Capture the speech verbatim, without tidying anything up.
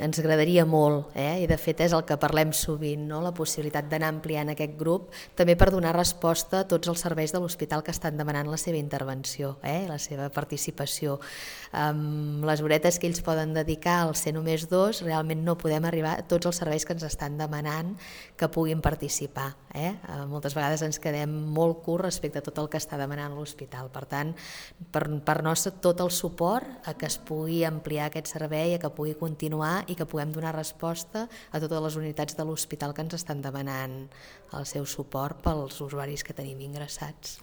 ens agradaria molt, eh? I de fet és el que parlem sovint, no? La possibilitat d'anar ampliant aquest grup, també per donar resposta a tots els serveis de l'hospital que estan demanant la seva intervenció, eh? La seva participació. Amb les horetes que ells poden dedicar al ser només dos, realment no podem arribar a tots els serveis que ens estan demanant que puguin participar. Eh? Moltes vegades ens quedem molt curts respecte a tot el que està demanant l'hospital. Per tant, per, per nostre tot el suport a que es pugui ampliar aquest servei, a que pugui continuar i que puguem donar resposta a totes les unitats de l'hospital que ens estan demanant el seu suport pels usuaris que tenim ingressats.